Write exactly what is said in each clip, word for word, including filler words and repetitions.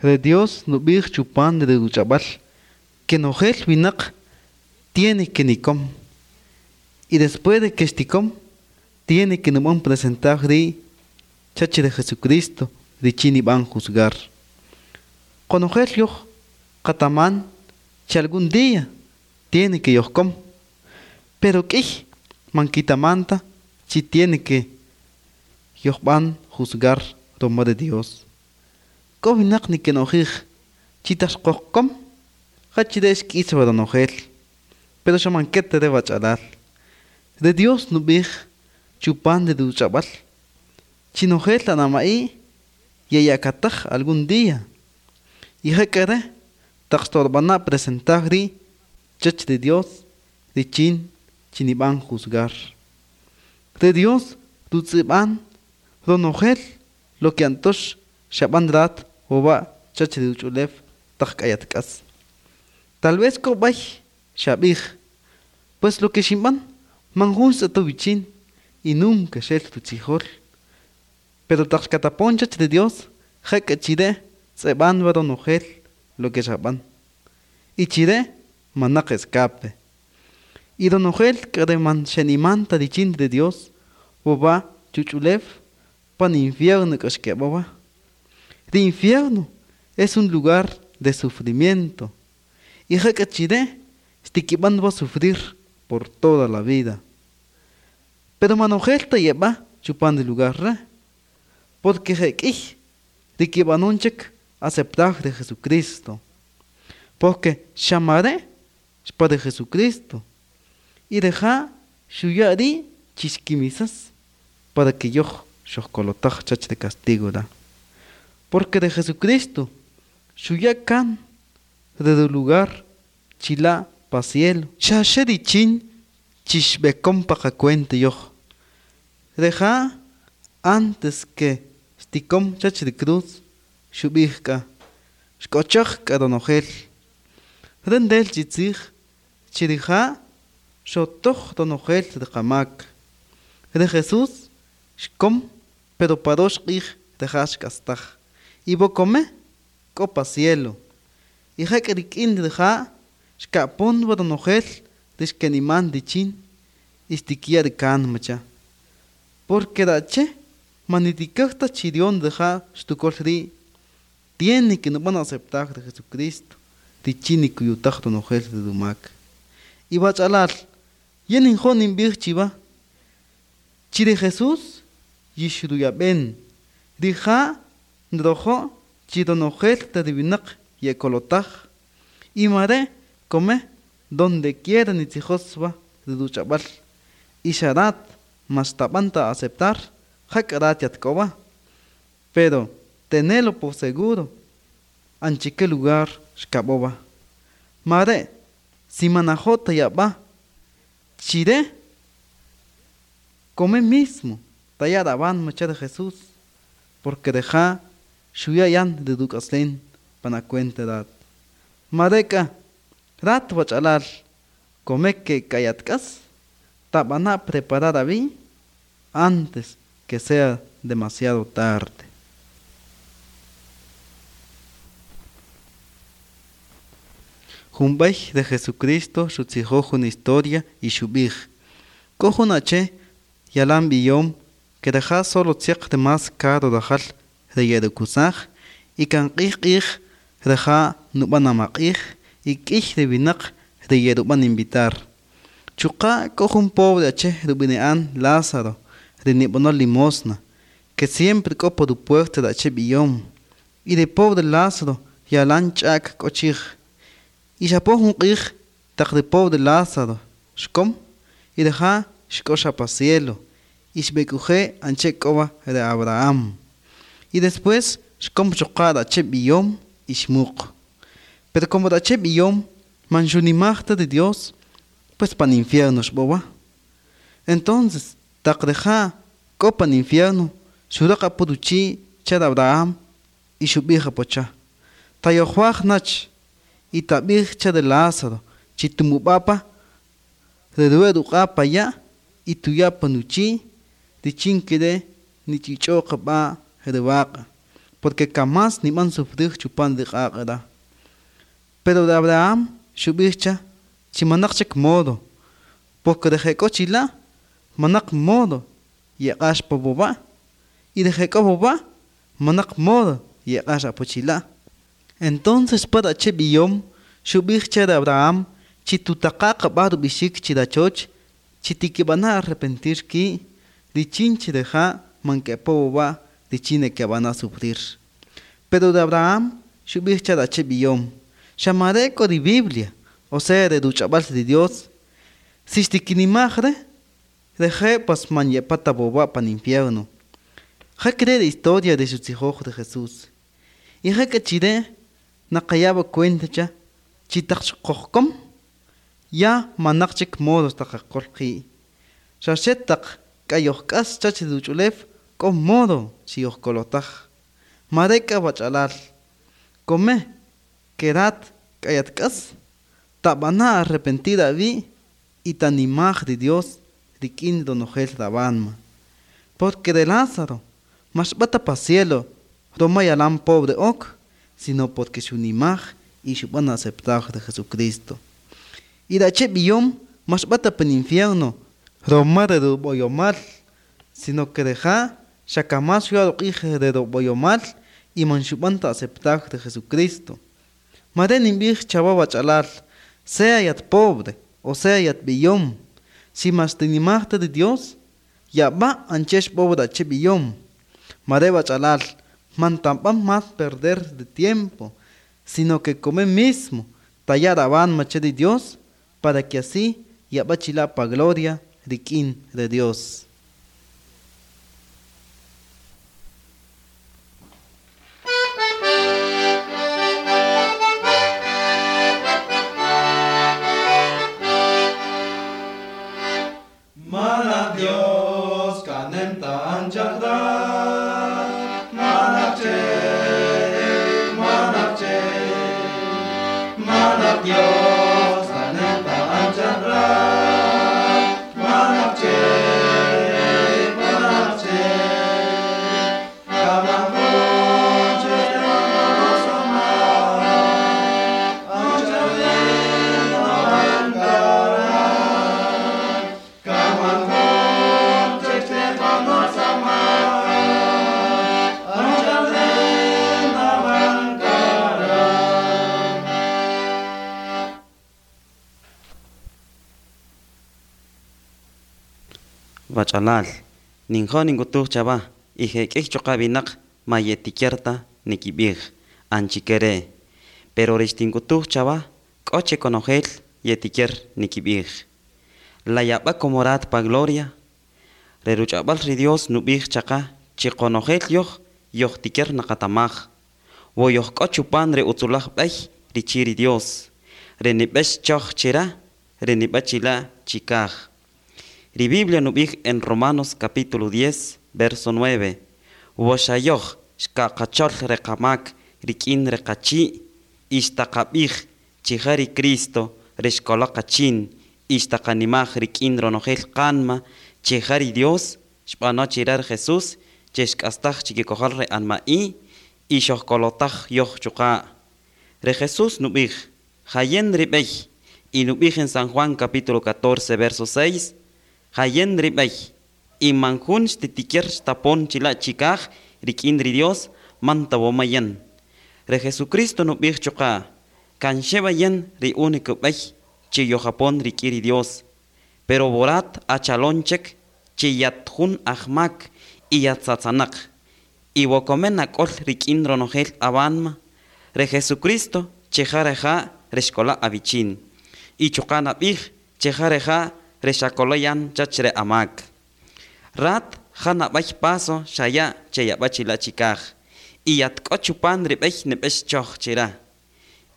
De Dios nubij chupan de ruchabal que nojel winak tiene que nikom. Y después de que estikom, tiene que numon presentar ri chachi de Jesucristo richin iban juzgar. Konojel yoh kataman che algún día tiene que yohkom. Pero k'ij manquitamanta chi tiene que yohban juzgar roma de Dios. K'o winaq nikenojij chi taq xqojkom jachire xk'is waronojel, pero xa man keta re wach'alal. De Dios nub'ij chupan de ruch'ab'al chinojel anama'i yeyakataj algún día y jak'are taq xtorb'ana' presentar ri' chach de Dios richin chinib'an juzgar. De Dios rutz'ib'an ronojel lo que antox xab'an rat wowa chach de ruch'ulew taq k'ayatk'as. Tal vez k'o b'ay xab'ij, pues lo que xinb'an man jun tz'eto wichin y nunca xel rutzijol. Pero taq xkatapon chach de Dios jak'a chire tz'eb'an wa ronojel lo que xab'an. Y chire manaq escape. Y ronojel k'are man xenimanta richin de Dios wowa chuch'ulew pan infierno k'axkeb'awa. El infierno es un lugar de sufrimiento. Y jak'a chire xtikib'an wa sufrir por toda la vida. Pero manojel ta yeb'a chupan el lugar re, porque jek'ij rikib'anun chik aceptar de Jesucristo. Porque xamare xpa de Jesucristo. Y deja xuya ri chixkimisas para que yoh xojkolotaj chach de castigo da. Porque de Jesucristo xuya kan de lugar chila pa cielo. Xa richin chixbekom pa qacuente yoh. Deja antes que xtikom chach de cruz xub'ij k'a xk'ochoj k'a ronojel. Rendel chitzij chirija xotoj ronojel de qamak. De Jesús xkom pero parox q'ij deja xk'astaj. Y bokome k'o pa cielo. Y jak rik'in rija xka'pon wa ronojel rixkeniman richin y xtikiya rikan macha. Porque rache manitikajta chirion rija xtukol ri' tiene que no van a aceptar de Jesucristo richin nikuyutaj ronojel de dumak. Y wach'alal yen injon inb'ij chiva chire Jesús yixruyab'en rija nrojo chironojel te winaq yekolotaj y mare come donde quiera nitzijoswa de ruch'ab'al y xarat maxtab'anta aceptar jak'arat yatk'owa. Pero tenelo por seguro anchique lugar xkab'owa. Mare si manajota yab'a chire come mismo tayaraban macha de Jesús, porque deja xuyayan de duk'aslen pana cuenta dat. Mareka rat wach'alal come que kayatk'as tab'ana preparar abi antes que sea demasiado tarde. Jumbay de Jesucristo xutzijoj una historia y xub'ij. K'o jun ache yalan b'iyom que deja solo tziaq de más caro dajal de yerukusaj y kan q'ij q'ij reja nub'an amaq'ij y k'ij de winaq de yerub'an invitar. Chuqa k'o jun pobre ache rub'ine'an Lázaro de nib'anol limosna que siempre k'o por puerta de ache b'iyom y de pobre Lázaro yalan ch'ak k'o chij. Y xapon jun q'ij taq de pobre Lázaro xkom y deja xk'ox pa cielo y xb'ek'uje anche k'owa de Abraham. Y después xkom chuqa da ache b'iyom y xmuq. Pero como da ache b'iyom man xunimajta de Dios, pues pan infierno xb'owa. Entonces taq deja k'o pan infierno xuraqa puruchi cha de Abraham y xub'ij apocha. Tayojuaj nach y tab'ij cha de Lázaro chitumub'apa de ruq'a ya y tuyapa nuchi richin kere nich'ich'oq b'a riwaqa. Porque kamás niman sufrir chupan de q'aq'ra. Pero de Abraham xub'ij cha chi manaq chik modo, porque de jek'o chila' manaq modo yeq'ax pa bob'a y de jek'o bob'a manaq modo yeq'ax apo chila'. Entonces para che b'iyom xub'ij cha de Abraham chi tutaqa' qab'aj rub'ixik chirachoch chi tikib'ana' arrepentir ki' richin chireja' man ke'po bob'a richin keb'ana sufrir. Pero de Abraham xub'ij cha ache b'iyom xamare k'o ri Biblia, o sea re ruch'ab'al ri Dios, si xtikinimaj re, reje' pas man yepata bob'a pan infierno. Ja cree la historia de xutzijoj de Jesús. Y ja k'achire naqayaba cuenta cha chi taq xqojkom ya manaq chik modos taqaqol qi'. Xa xe taq k'ayojk'as chach ruch'ulew k'o modo chiyojkolotaj. Mare k'a wach'alal come kerat k'ayatk'as tab'ana arrepentir awi' y tanimaj ri Dios rik'in ronojel rabanma. Porque de Lázaro mas b'ata pa cielo roma yalan pobre ok, sino porque xunimaj y xub'an aceptar de Jesucristo. Y rache b'iyom mas b'ata pan infierno roma de rub'oyomal, sino que deja xakamas xuya ruq'ij de rub'oyomal y man xub'an ta aceptar de Jesucristo. Mare ninb'ij chawa wach'alal, sea yat pobre o sea yat b'iyom, si mas tinimajta de Dios, yab'a anchex pobre ache b'iyom. Mare wach'alal, man tamb'an más perder de tiempo, sino que come mismo tayar aban mache de Dios, para que así yab'a chila pa gloria rik'in de Dios. Mana Dios kanem ta anchakra, mana che, mana che, mana Dios kanem ta anchakra, mana che, mana che, kamakunche sama, anchakra ankara. Wach'alal, ninjo ninkutuj chaba, ije k'ij choqa binaq mayetikerta nikib'ij, anchikere. Pero rixtinkutuj chaba, k'oche konojel yetiker nikib'ij. La yab'a komorat pa gloria, reruch'ab'al ri Dios nub'ij chaqa, chi konojel yoj, yoj tiker naqatamaj. Wo yoj k'o chupan re utzulaj b'ey richi ri Dios. Renib'ex choj chira, renib'achila chikaj. Ri Biblia nub'ij en Romanos capítulo diez, verso nueve. Woxayoj xkaqachol reqamak rik'in reqachi' ixtaqab'ij chija ri Cristo rexkoloqachin ixtaqanimaj rik'in ronojel qanma chija ri Dios xb'ano chirar Jesús chexk'astaj chikikojal re anma'i ixojkolotaj yoj chuqa'. Re Jesús nub'ij jayen rib'ey y nub'ij en San Juan capítulo catorce, verso seis, jayen rib'ey y manjun xtitiker xtapon chila chikaj rik'in ri Dios mantawomayen. Re Jesucristo nub'ij chuqa' kanxebayen ri único b'ey chi yojapon rik'in ri Dios. Pero borat achalonchek chi yatjun ajmak y yatzatzanaq. Y wokomen ak'ol rik'in ronojel abanma. Re Jesucristo chejareja rexkola abichin. Y chuqa' nab'ij chejareja rexakoloyan chachre amak. Rat janab'ay paso xaya cheyab'achila chikaj. Y yatk'o chupan rib'ey nib'ex choj chira.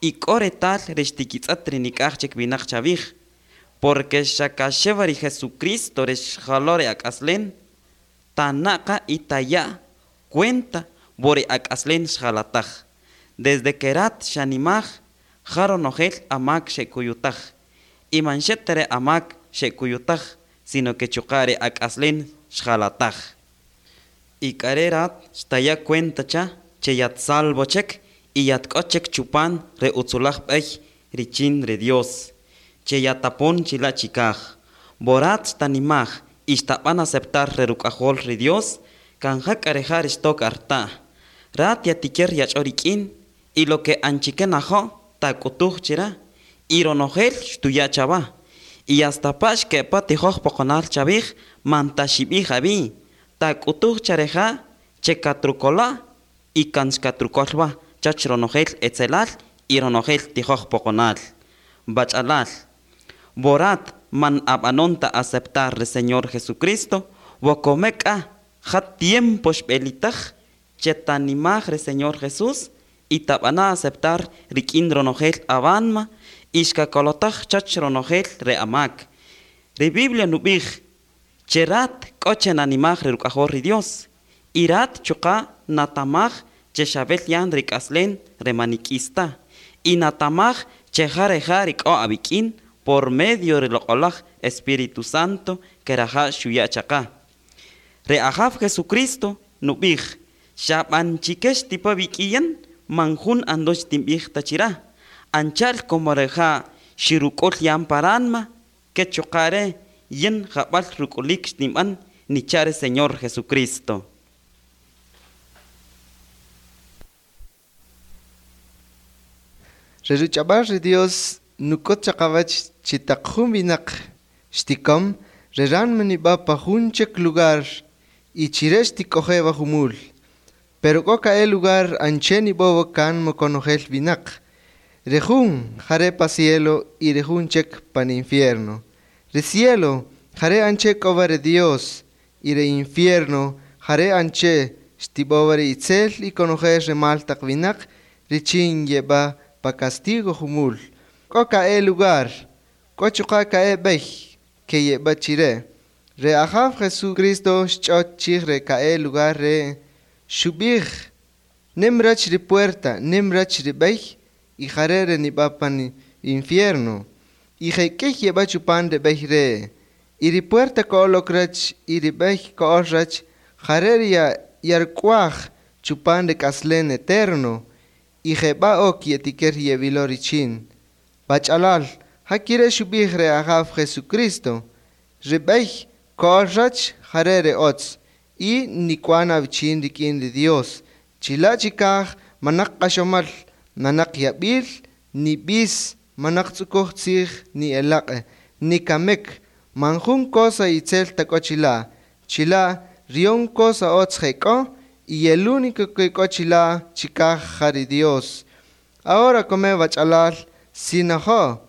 Y k'o retal rextikitz'at rinik'aj chik binaq chavij. Porque xakaxeva ri Jesucristo rexjalore ak'aslen, tanaqa y taya cuenta bori ak'aslen xjalataj. Desde que rat xanimaj, jaro nojel amak xekuyutaj. Y manxetere amak xekuyutaj, sino que chuqare ak'aslen xjalataj. Y karerat xtaya cuenta cha, che yat salvo chek y yat k'o chek chupan re utzulaj b'ey richin re Dios che yatapon chila chikaj. Borat xtanimaj y xtab'an aceptar re ruk'ajol re Dios kanja k'areja rixtok arta. Rat yatiker yach'o rik'in y lo que anchike najo tak'utuj chira y ronojel xtuya chaba y hasta pa xke'pa tijoj poqonal chabij man taxib'ij abi tak'utuj chareja che katrukola y kan xkatrukolwa chach ronojel etzelal y ronojel tijoj poqonal. Bach'alal borat man ab'anonta aceptar re Señor Jesucristo wokomek'a ja tiempo xb'elitaj che tanimaj re Señor Jesús y tab'ana aceptar rik'in ronojel awanma y xkakolotaj chach ronojel re amak. Re Biblia nub'ij che rat k'o che nanimaj re ruk'ajol ri Dios y rat chuqa natamaj che xab'el yan rik'aslen re manik'ista y natamaj che jareja rik'o ab'ik'in por medio re loq'olaj Espíritu Santo que raja xuya chaqa. Re Ajaw Jesucristo nub'ij xab'anchikex tipa b'ik'iyan manjun andox tinb'ij tachira anchal como reja xiruk'ul yan paranma ke chuqare yin jab'al ruk'ulik xtinb'an nichare Señor Jesucristo. Re ruch'ab'al ri Dios nuk'ut chaqawach chitaq jun winaq xtikom re ranma nib'a pa jun chek lugar y chire xtik'ojewa jumul. Pero k'o ka'e lugar anche nib'owa kan mokonojel winaq. Re jun jare pa cielo y re jun chek pan infierno. Re cielo jare anche k'owa re Dios y re infierno jare anche xtib'owa re itzel y konojel re mal taq winaq richin yeb'a pa castigo jumul. K'o ka'e lugar, k'o chuqa ka'e b'ey ke yeb'a chire. Re Ajaw Jesucristo xch'ot chij re ka'e lugar re xub'ij nim rach ri puerta, nim rach ri b'ey y jare re nib'a pan infierno. Y je'k'ey yeb'a chupan re b'ey re. Y ri puerta k'olok rach y ri b'ey k'ol rach jare ri ya yark'uaj chupan re k'aslen eterno. Y jeb'a ok yetiker yeb'ilo richin. Bach'alal, jakire xub'ij re Ajaw Jesucristo. Ri b'ey k'ol rach jare re otz y nik'uan awichin rik'in ri Dios. Chila' chikaj manaq q'axomal, manaq yab'il, ni b'is, manaq tz'ukoj tzij, ni elaq', ni kamek, manjun cosa itzel ta k'o chila'. Chila' rion cosa otz jek'o y el único que k'o chila' chikaj ja ri Dios. Ahora come bach'alal, si najo,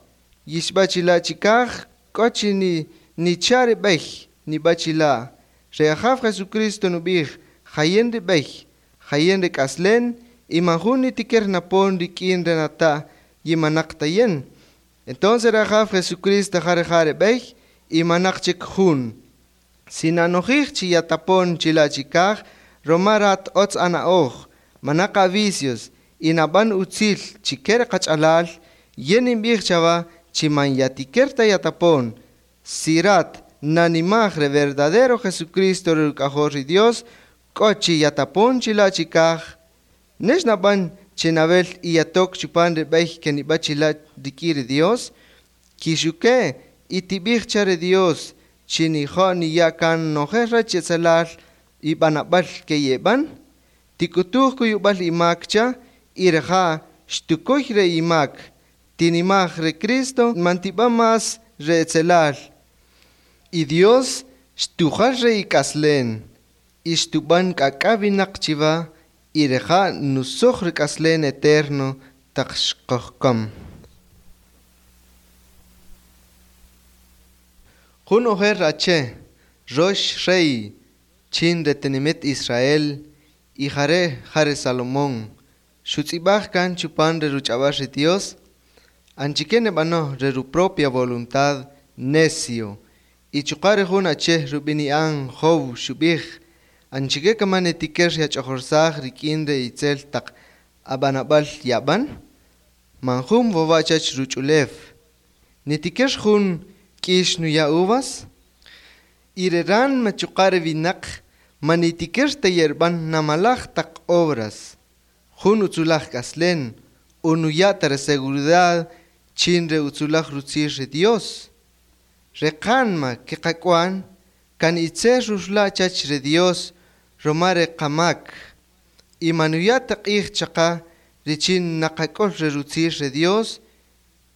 yixb'a chila' chikaj, k'o chi ni nicha ri b'ey, nib'a chila'. Re Ajaw Jesucristo nub'ij, jayen ri b'ey, jayen ri k'aslen, y manjun nitiker napon rik'in re nata' yimanaq tayen. Entonces re Ajaw Jesucristo jare jare b'ey, y manaq chik jun. Si nanojij chi yatapon chila' chikaj, roma rat otz ana'oj, manaq avicios, y nab'an utzil chiker qach'alal, yen inb'ij chawa chi man yatiker ta yatapon. Si rat nanimaj re verdadero Jesucristo re ruk'ajol ri Dios, k'o chi yatapon chila' chikaj, nex nab'an chenab'el y yatok chupan re b'ey ke nib'a chila' rik'in ri Dios, kixuke y tib'ij cha re Dios chi nijo' niya' kan nojel rach etzelal y b'anab'al ke yeb'an, tik'utuj kuyub'al imak cha y reja xtukuy re imak, tinimaj re Cristo mantib'a mas re etzelal. Y Dios xtujal re ik'aslen, y xtub'an k'ak'a winaq chiwa y reja nusoj re k'aslen eterno taq xqojkom. Jun ojer ache, rox rey, chin re tinimit Israel, y jare jare Salomón, xutz'ib'aj kan chupan re ruch'ab'al ri Dios, anchike neb'anoj re ru propia voluntad necio, y chuqa re jun ache rub'ini'an Job xub'ij, anchike kaman nitiker yach'ojorsaj rik'in re itzel taq ab'anab'al yab'an, manjun wowa chach ruch'ulew. Nitiker jun k'ix nuya uvas, y re ran machuqa re winaq manitiker ta yerb'an namalaj taq obras. Jun utzulaj kaslen, unuyata re seguridad chin re utzulaj rutzir re Dios. Rekanma kekakuan, kan itzel ruxla chach re Dios, romare kamak. Y manuyata q'ij chaqa richin naqak'ol re rutzir re Dios,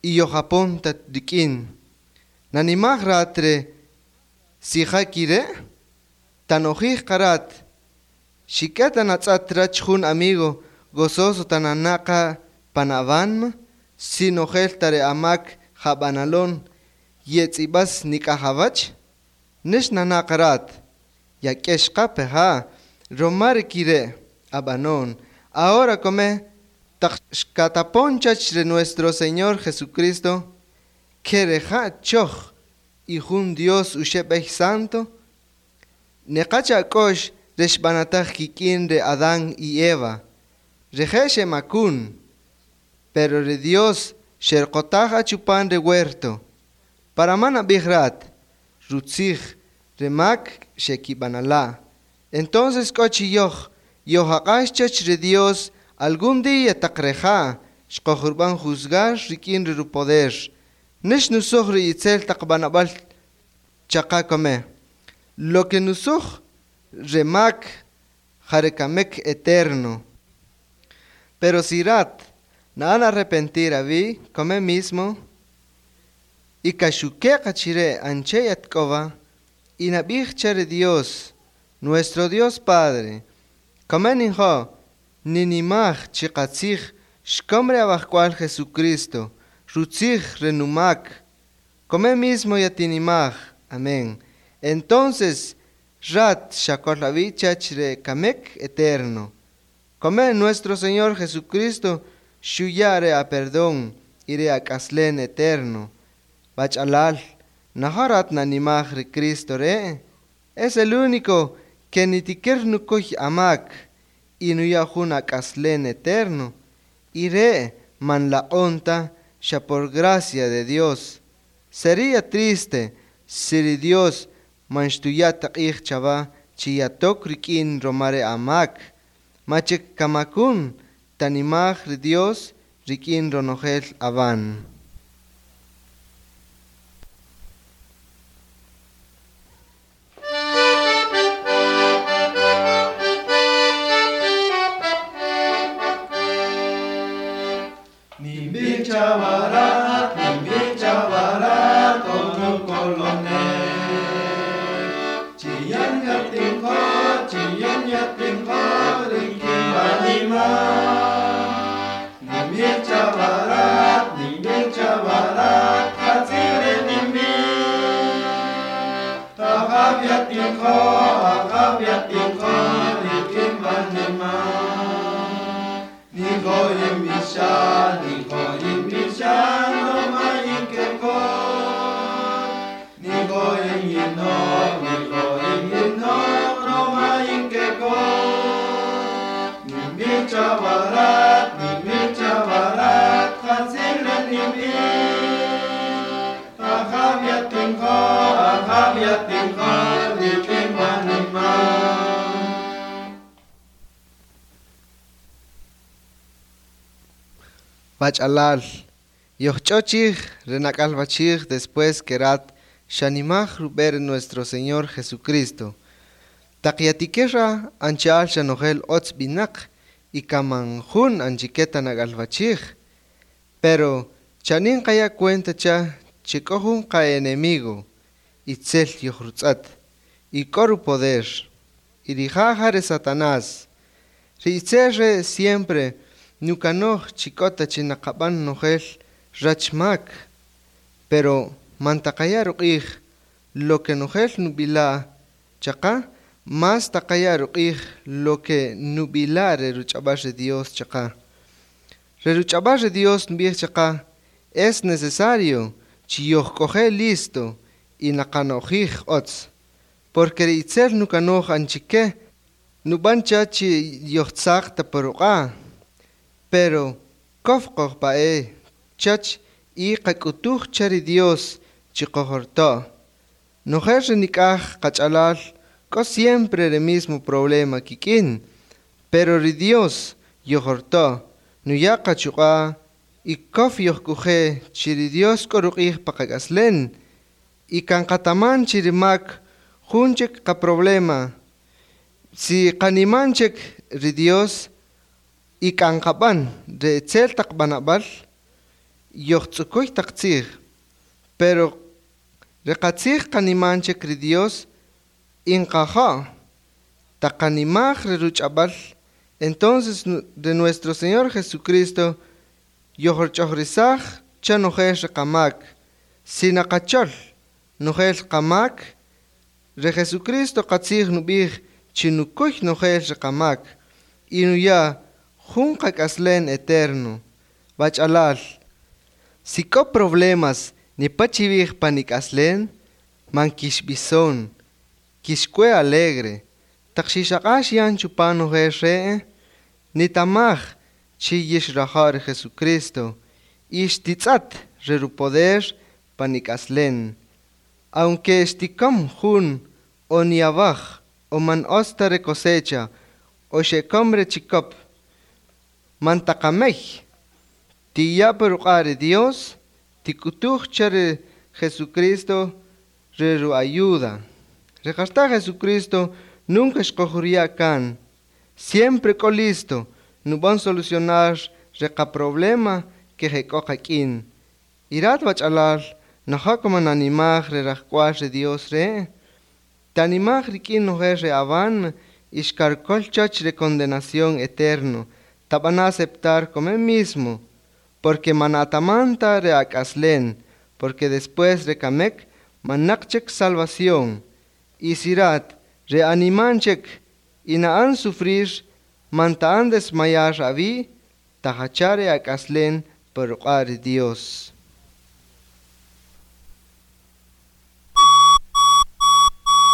y yojapon tat rikin. Nanimaj ratre sijakire, tanojij karat, xiketa natz'at rach jun amigo gozoso tananaka panavanma, sinojel tare amak jabanalon, yetzibas nikajabach, nesh nanakarat, yakeshka peja, romare kire, abanon, ahora come, taqxkataponchach de nuestro Señor Jesucristo, kereja choch, y jun Dios ushebej santo, neqacha kosh reshbanataj kikin de Adán y Eva, rejeshe makun, pero de Dios sherkotaj achupan de huerto, para mana bihrat, rutzij, remak shekibanala. Entonces kochi yoch, yohaqash de Dios, algún día taqreja, xqojurban juzgar rikin ru poder. Nesh nusuj ri itzel taqbanabal chaqa kome. Lo que nusuj remak jarekamek eterno. Pero sirat, naan arrepentir avi, come mismo, y kashuke kachire anche yatkova, y nabij chere Dios, nuestro Dios Padre, come ninjo, ninimaj chikatzij, xkomre abajcual Jesucristo, rutzij renumak, come mismo yatinimaj, amén. Entonces, rat shakolavichach re kamek eterno. Come nuestro Señor Jesucristo, shuyare a perdón, ire a kaslen eterno. Bachalal, naharat nanimaj re Cristo re, es el único que nitiker nukoy amak, y nuyajun a kaslen eterno. Ire man la onta, ya por gracia de Dios. Sería triste si Dios manchtuyata q'ij chava chiyatok rikin romare amak, machek kamakun tanimaj ri Dios rikin ronojel avan. Chavarat, nimbi chavarat, onu kolone. Chiyan yatin ho, chiyan yatin ho, rinki manima. Nimbi chavarat, nimbi chavarat, hatzire nimbi. Ahab yatin ho, ahab yatin ho, rinki manima. Niho imisha, niho imisha, no mainkeko. Niho imino, niho imino, no mainkeko. Nimi chavarat, nimi chavarat, hatzile nimi. Ahav yatinho, ahav yatinho, nikim manima. Bachalal, yochchochij, renakalbachij, después kerat, shanimaj ruber nuestro Señor Jesucristo. Taqiatikera anchal shanojel otz binak, y kamanjun anchiqueta nagalbachij. Pero chanin kaya cuenta cha, chikojun ka enemigo, itzel yochrutzat, y koru poder, y rijajare Satanás. Ritzerre siempre, nukanoj chikota chinakaban nojel rachmak, pero mantakaya ruqij lo que nojel nubila chaqa, más takaya ruqij lo que nubila reruchabar de Dios chaqa. Reruchabar de Dios nubij chaqa, es necesario chiyojkoje listo y nakanojij otz, porque itzel nukanoj anchique nubancha chi yochtzaq taporuqa. Pero kofqoj pae chach y qakutuj chari Dios chiqojorto. Nojer nikaj qachalal ko siempre el mismo problema kikin, pero ri Dios Yojorto, nuya qachuqa y kof yojkuje chiri Dios k'o ruq'ij pa qak'aslen y kan qataman chirimak jun chik qaproblema. Si qaniman chik ri Dios y kan qab'an re itzel taq b'anab'al yojtz'ukuy taq tzij, pero re qatzij qaniman chik ri Dios inqaja' taq qanimaj re ruch'ab'al, entonces de nuestro Señor Jesucristo yojorch'ojrisaj cha nojel re qamak. Si naqachol nojel qamak, re Jesucristo qatzij nub'ij chi nukuy nojel re qamak y nuya jun qak'aslen eterno. Bach'alal, si k'o problemas nipachib'ij pan ik'aslen, man kixb'ison, kixk'ue alegre, taq xixaq'ax yan chupan nojel re', nitamaj chi yixraja' re Jesucristo y xtitz'at re rupoder pan ik'aslen. Aunque xtikam jun o niabaj o man osta re cosecha o xekom re chikop, man taqamej, tiya' pa ruq'a' re Dios, tikutuj cha re Jesucristo re ru ayuda. Re qarta Jesucristo nunca xqojuriya' kan, siempre k'o listo nub'an solucionar re qaproblema que jek'o qak'in. Irat wach'alal, naja' man animaj re rajk'wal re Dios re', tanimaj rik'in nojel re awan y xkarkol chach re condenación eterno, tab'ana aceptar como mismo, porque manatamanta re ak'aslen, porque después re kamek manaq chik salvación. Y sirat re animan chik y na'an sufrir man ta'an desmayar awi' tajachare ak'aslen por ruq'a' ri Dios.